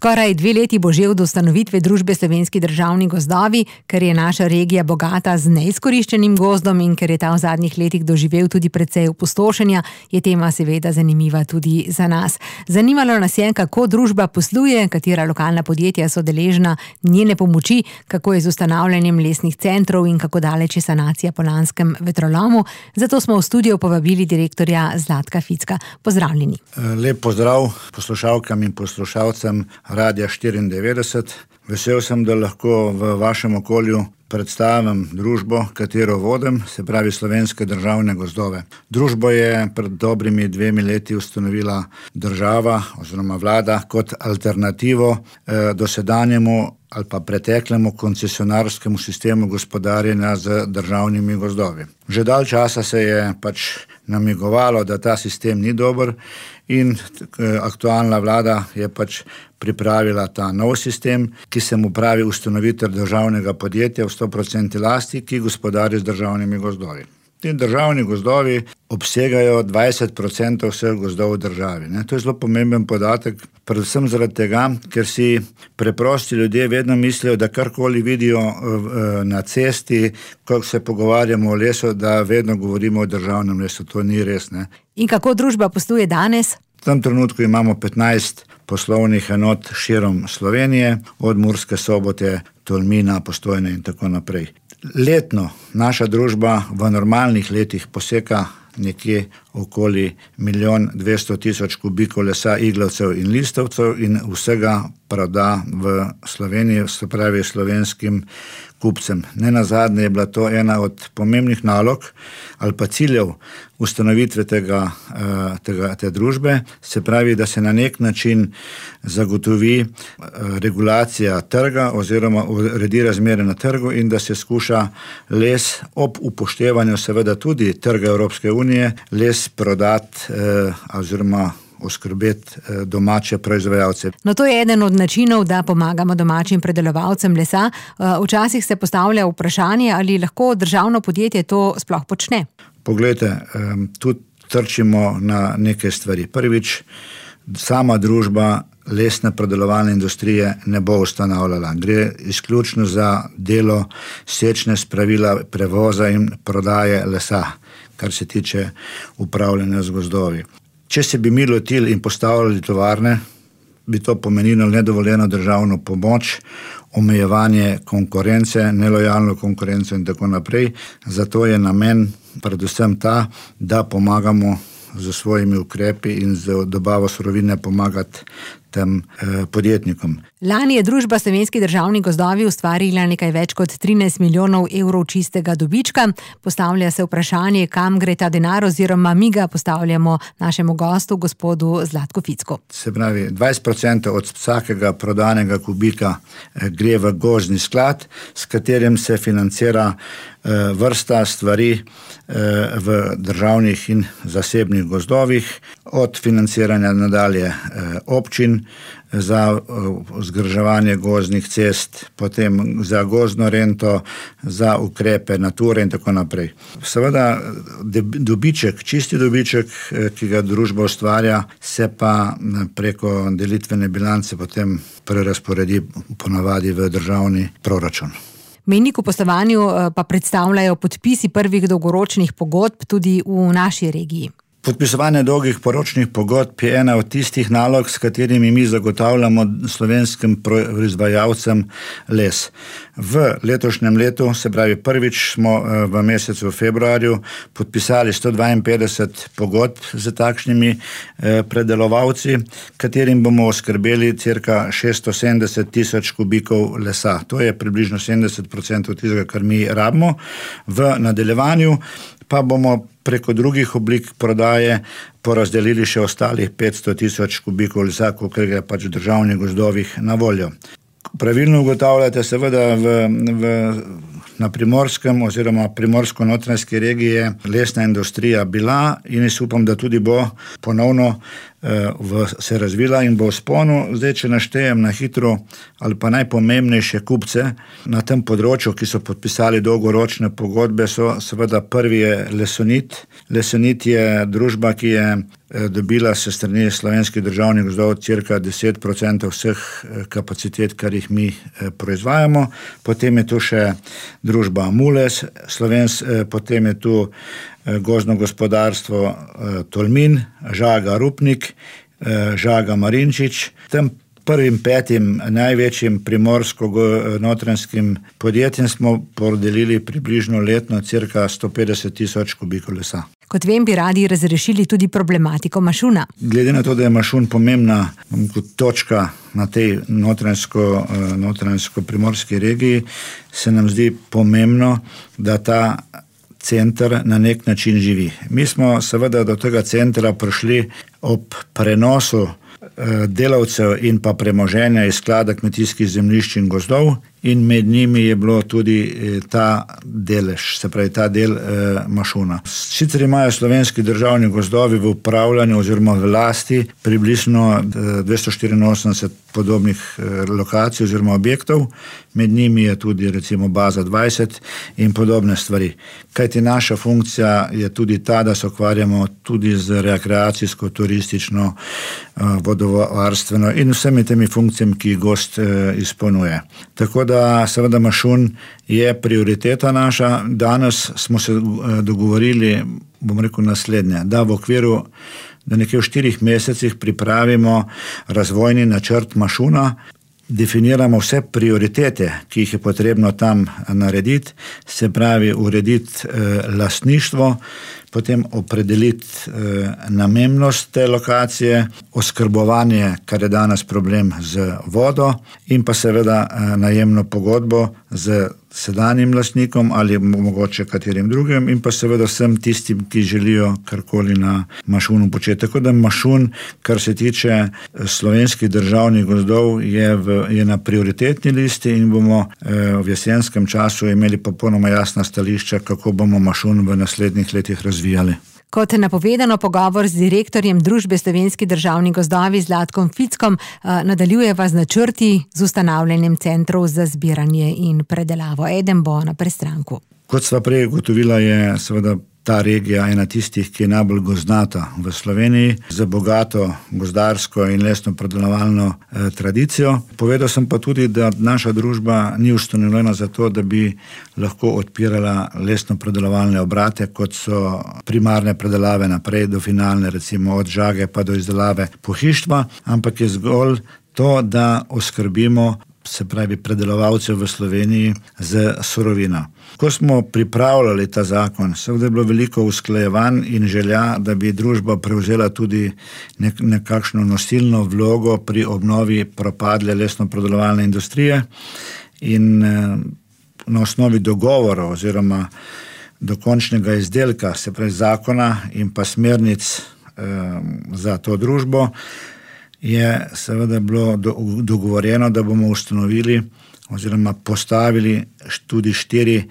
Skoraj 2 leti bo že od ustanovitve družbe Slovenski državni gozdovi, ker je naša regija bogata z neizkoriščenim gozdom in ker je ta v zadnjih letih doživel tudi precej opustošenja, je tema seveda zanimiva tudi za nas. Zanimalo nas je, kako družba posluje, katera lokalna podjetja so deležna njene pomoči, kako je z ustanavljanjem lesnih centrov in kako daleč je sanacija po lanskem vetrolomu. Zato smo v studio povabili direktorja Zlatka Ficka. Pozdravljeni. Lep pozdrav poslušalkam in poslušalcem Radia 94. Vesel sem, da lahko v vašem okolju predstavim družbo, katero vodim, se pravi Slovenske državne gozdove. Družbo je pred dobrimi 2 leti ustanovila država oziroma vlada kot alternativo dosedanjemu ali pa preteklemu koncesionarskemu sistemu gospodarjenja z državnimi gozdovi. Že dalj časa se je namigovalo, da ta sistem ni dober in aktualna vlada je pripravila ta nov sistem, ki se mu pravi ustanovitev državnega podjetja v 100% lasti, ki gospodari z državnimi gozdovi. Ti državni gozdovi obsegajo 20% vseh gozdov v državi. To je zelo pomemben podatek, predvsem zaradi tega, ker si preprosti ljudje vedno mislijo, da karkoli vidijo na cesti, ko se pogovarjamo o lesu, da vedno govorimo o državnem lesu. To ni res. In kako družba posluje danes? V tem trenutku imamo 15 poslovnih enot širom Slovenije, od Murske Sobote, Tolmina, Postojne in tako naprej. Letno naša družba v normalnih letih poseka nekje okoli 1.200.000 kubikov lesa, iglavcev in listovcev in vsega proda v Sloveniji, se pravi slovenskim kupcem. Nenazadnje je bila to ena od pomembnih nalog ali pa ciljev ustanovitve te družbe, se pravi, da se na nek način zagotovi regulacija trga oziroma uredi razmere na trgu in da se skuša les ob upoštevanju seveda tudi trga Evropske unije, les prodati oziroma oskrbeti domače proizvajalce. No, to je eden od načinov, da pomagamo domačim predelovalcem lesa. Včasih se postavlja vprašanje, ali lahko državno podjetje to sploh počne. Poglejte, tu trčimo na neke stvari. Prvič, sama družba lesne predelovalne industrije ne bo ustanavljala. Gre izključno za delo sečne spravila, prevoza in prodaje lesa, kar se tiče upravljanja z gozdovi. Če se bi mi lotili in postavljali tovarne, bi to pomenilo nedovoljeno državno pomoč, omejevanje konkurence, nelojalno konkurenco in tako naprej. Zato je namen predvsem ta, da pomagamo z svojimi ukrepi in z dobavo surovine pomagati tem podjetnikom. Lani je družba Slovenski državni gozdovi ustvarila nekaj več kot 13 milijonov evrov čistega dobička. Postavlja se vprašanje, kam gre ta denar, oziroma mi ga postavljamo našemu gostu, gospodu Zlatku Ficku. Se pravi, 20% od vsakega prodanega kubika gre v gozdni sklad, s katerim se financira vrsta stvari v državnih in zasebnih gozdovih, od financiranja nadalje občin za vzdrževanje gozdnih cest, potem za gozdno rento, za ukrepe nature in tako naprej. Seveda dobiček, čisti dobiček, ki ga družba ustvarja, se pa preko delitvene bilance potem prerazporedi ponavadi v državni proračun. Mejnik v poslovanju pa predstavljajo podpisi prvih dolgoročnih pogodb tudi v naši regiji. Podpisovanje dolgih poročnih pogodb je ena od tistih nalog, s katerimi mi zagotavljamo slovenskim proizvajalcem les. V letošnjem letu, se pravi prvič, smo v mesecu februarju podpisali 152 pogodb z takšnimi predelovalci, katerim bomo oskrbeli cirka 670.000 kubikov lesa. To je približno 70% tistega, kar mi rabimo. V nadaljevanju pa bomo preko drugih oblik prodaje porazdelili še ostalih 500.000 kubikov lesa, kolikor je v državnih gozdovih na voljo. Pravilno ugotavljate seveda na Primorskem oziroma primorsko-notranjski regiji lesna industrija bila in jaz upam, da tudi bo ponovno se razvila in bo v sponu. Zdaj, če naštejem na hitro ali pa najpomembnejše kupce na tem področju, ki so podpisali dolgoročne pogodbe, so seveda prvi je Lesonit. Lesonit je družba, ki je dobila se strani Slovenskih državnih gozdov cirka 10% vseh kapacitet, kar jih mi proizvajamo. Potem je tu še družba Mules, potem je tu gozdno gospodarstvo Tolmin, Žaga Rupnik, Žaga Marinčič. Tem prvim 5 največjim primorsko-notranjskim podjetjem smo podelili približno letno cirka 150,000 kubikov lesa. Kot vem, bi radi razrešili tudi problematiko mašuna. Glede na to, da je mašun pomembna točka na tej notranjsko-primorski regiji, se nam zdi pomembno, da ta center na nek način živi. Mi smo seveda do tega centra prišli ob prenosu delavcev in pa premoženja iz sklada kmetijskih zemljišč in gozdov in med njimi je bilo tudi ta delež, se pravi ta del mašuna. Sicer imajo Slovenski državni gozdovi v upravljanju oziroma v lasti približno 284 podobnih lokacij oziroma objektov, med njimi je tudi recimo baza 20 in podobne stvari. Kajti naša funkcija je tudi ta, da se ukvarjamo tudi z rekreacijsko, turistično, vodovarstveno in vsemi temi funkcijami, ki gost izpolnjuje. Tako da seveda mašun je prioriteta naša. Danes smo se dogovorili, bom rekel naslednje, da v okviru, da nekje v 4 mesecih pripravimo razvojni načrt mašuna, definiramo vse prioritete, ki jih je potrebno tam narediti, se pravi urediti lastništvo, potem opredeliti namembnost te lokacije, oskrbovanje, kar je danes problem z vodo in pa seveda najemno pogodbo z sedanjim lastnikom ali mogoče katerim drugim in pa seveda vsem tistim, ki želijo karkoli na mašunu početi. Tako da mašun, kar se tiče Slovenskih državnih gozdov, je na prioritetni listi in bomo v jesenskem času imeli popolnoma jasna stališča, kako bomo mašun v naslednjih letih razvijali. Kot napovedano, pogovor z direktorjem družbe Slovenski državni gozdovi Zlatkom Fickom nadaljujeva z načrti z ustanavljanjem centrov za zbiranje in predelavo. Eden bo na Prestranku. Kot sva prej ugotovila, je seveda ta regija ena tistih, ki je najbolj gozdnata v Sloveniji, z bogato gozdarsko in lesno predelovalno tradicijo. Povedal sem pa tudi, da naša družba ni ustanovljena za to, da bi lahko odpirala lesno predelovalne obrate, kot so primarne predelave naprej do finalne, recimo od žage pa do izdelave pohištva, ampak je zgolj to, da oskrbimo, se pravi predelovalcev v Sloveniji z surovino. Ko smo pripravljali ta zakon, seveda je bilo veliko usklajevanj in želja, da bi družba prevzela tudi nekakšno nosilno vlogo pri obnovi propadle lesno-predelovalne industrije in na osnovi dogovorov oziroma dokončnega izdelka, se pravi zakona in pa smernic za to družbo, je seveda bilo dogovorjeno, da bomo ustanovili oziroma postavili tudi 4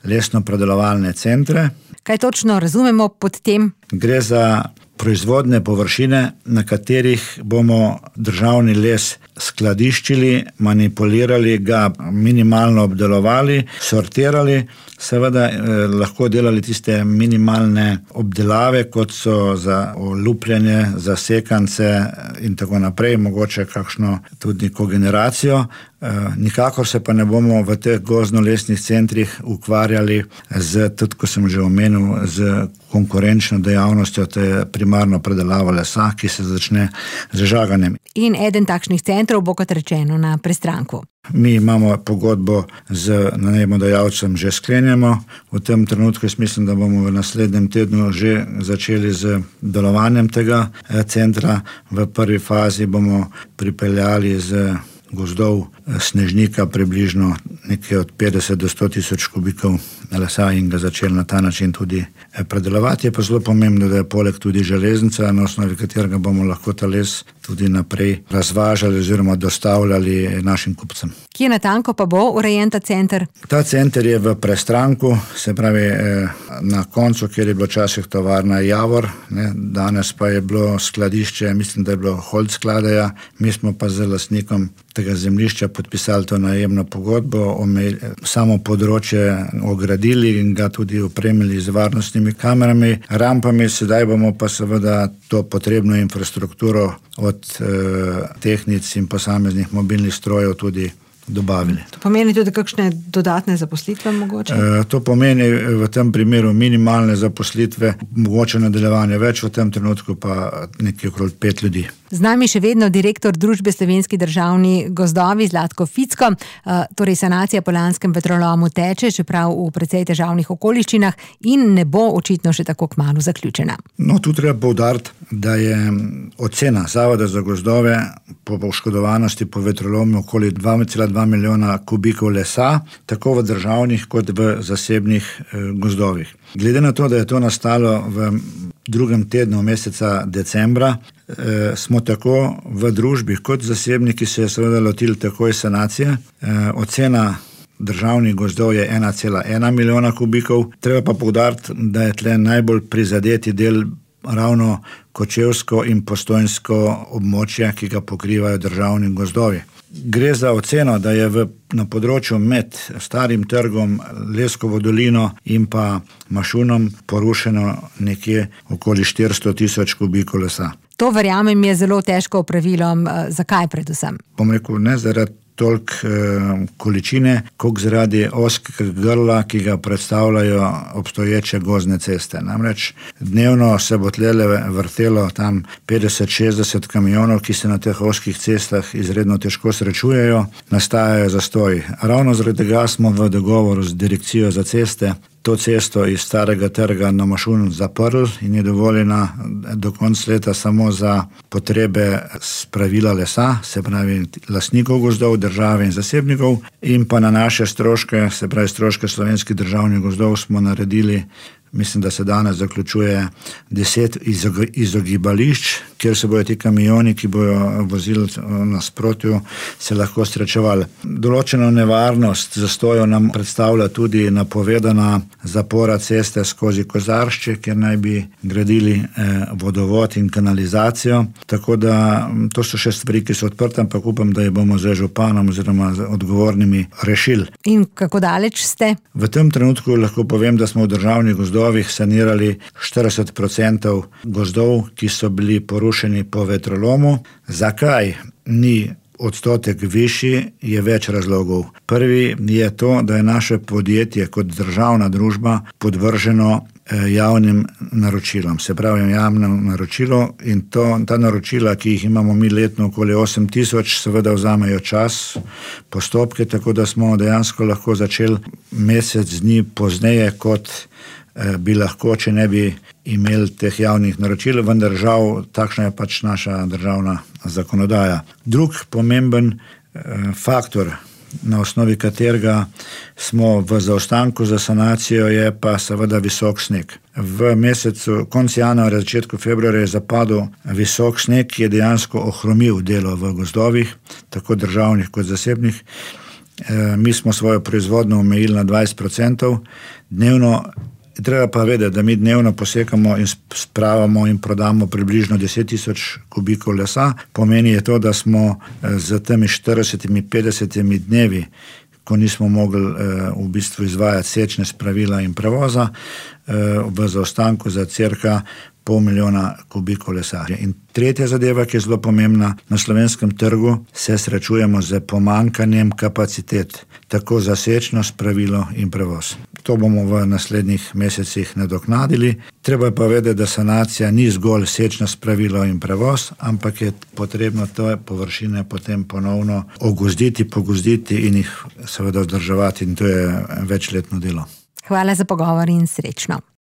lesno-predelovalne centre. Kaj točno razumemo pod tem? Gre za proizvodne površine, na katerih bomo državni les skladiščili, manipulirali ga, minimalno obdelovali, sortirali, seveda lahko delali tiste minimalne obdelave, kot so za olupljanje, za sekance in tako naprej, mogoče kakšno tudi kogeneracijo. Nikakor se pa ne bomo v teh gozdno-lesnih centrih ukvarjali z, tudi ko sem že omenil, z konkurenčno dejavnostjo, to je primarno predelava lesa, ki se začne z žaganjem. In eden takšnih centrov bo, kot rečeno, na Prestranku. Mi imamo pogodbo z najemodajalcem že sklenjeno. V tem trenutku jaz mislim, da bomo v naslednjem tednu že začeli z delovanjem tega centra. V prvi fazi bomo pripeljali z gozdov snežnika približno nekaj od 50 do 100 tisoč kubikov lesa in ga začeli na ta način tudi predelovati. Je pa zelo pomembno, da je poleg tudi železnica, na osnovi katerega bomo lahko ta les tudi naprej razvažali oziroma dostavljali našim kupcem. Kje natanko pa bo urejen ta center? Ta center je v Prestranku, se pravi na koncu, kjer je bilo včasih tovarna Javor, danes pa je bilo skladišče, mislim, da je bilo Holt skladeja, mi smo pa z lastnikom tega zemljišča podpisali to najemno pogodbo, samo področje ogradili in ga tudi opremili z varnostnimi kamerami, rampami, sedaj bomo pa seveda to potrebno infrastrukturo od tehnic in posameznih mobilnih strojev tudi dobavili. To pomeni tudi kakšne dodatne zaposlitve mogoče? To pomeni v tem primeru minimalne zaposlitve, mogoče nadaljevanje več, v tem trenutku pa nekaj okrog 5 ljudi. Z nami še vedno direktor družbe Slovenski državni gozdovi Zlatko Ficko. Torej sanacija po lanskem vetrolomu teče, čeprav v precej težavnih okoliščinah in ne bo očitno še tako kmalu zaključena. No, tu treba poudariti, da je ocena Zavoda za gozdove po poškodovanosti po vetrolomu okoli 2,2 milijona kubikov lesa, tako v državnih kot v zasebnih gozdovih. Glede na to, da je to nastalo v drugem tednu meseca decembra, smo tako v družbi kot zasebniki se seveda lotili takoj sanacije. Ocena državnih gozdov je 1,1 milijona kubikov. Treba pa poudariti, da je tle najbolj prizadeti del ravno Kočevsko in Postojnsko območje, ki ga pokrivajo državni gozdovi. Gre za oceno, da je na področju med Starim trgom, Leskovo dolino in pa Mašunom porušeno nekje okoli 400 tisoč kubikov lesa. To verjamem je zelo težko opravilo. Zakaj predvsem? Bom rekel, ne zaradi toliko količine, koliko zaradi ozkega grla, ki ga predstavljajo obstoječe gozdne ceste. Namreč dnevno se bo tlele vrtelo tam 50-60 kamionov, ki se na teh ozkih cestah izredno težko srečujejo, nastajajo zastoji. Ravno zaradi tega smo v dogovoru z Direkcijo za ceste to cesto iz Starega trga na Mašun zaprli in je dovoljena do konca leta samo za potrebe spravila lesa, se pravi lastnikov gozdov, države in zasebnikov, in pa na naše stroške, se pravi stroške Slovenskih državnih gozdov, smo naredili, mislim, da se danes zaključuje 10 izogibališč, kjer se bojo ti kamioni, ki bojo vozili nasprotju, se lahko srečevali. Določeno nevarnost zastojev nam predstavlja tudi napovedana zapora ceste skozi Kozaršče, kjer naj bi gradili vodovod in kanalizacijo. Tako da to so še stvari, ki so odprte, ampak upam, da jih bomo z županom oziroma z odgovornimi rešili. In kako daleč ste? V tem trenutku lahko povem, da smo v državnih gozdovih sanirali 40% gozdov, ki so bili porušeni po vetrolomu. Zakaj ni odstotek višji, je več razlogov. Prvi je to, da je naše podjetje kot državna družba podvrženo javnim naročilom. Se pravi, javno naročilo in ta naročila, ki jih imamo mi letno okoli 8 tisoč, seveda vzamejo čas, postopke, tako da smo dejansko lahko začeli mesec dni pozneje, kot bi lahko, če ne bi imeli teh javnih naročil, vendar žal takšna je pač naša državna zakonodaja. Drug pomemben faktor, na osnovi katerega smo v zaostanku za sanacijo, je pa seveda visok sneg. V mesecu, konec januarja, začetku februarja je zapadel visok sneg, ki je dejansko ohromil delo v gozdovih, tako državnih kot zasebnih. Mi smo svojo proizvodnjo omejili na 20%, dnevno. Treba pa vedeti, da mi dnevno posekamo in spravamo in prodamo približno 10 tisoč kubikov lesa. Pomeni je to, da smo z temi 40-50 dnevi, ko nismo mogli v bistvu izvajati sečne spravila in prevoza, v zaostanku za cirka 500 milijona kubikov lesa. In tretja zadeva, ki je zelo pomembna, na slovenskem trgu se srečujemo z pomanjkanjem kapacitet, tako za sečno spravilo in prevoz. To bomo v naslednjih mesecih nadoknadili. Treba je pa vedeti, da sanacija ni zgolj sečno spravilo in prevoz, ampak je potrebno te površine potem ponovno ogozditi, pogozditi in jih seveda vzdrževati, in to je večletno delo. Hvala za pogovor in srečno.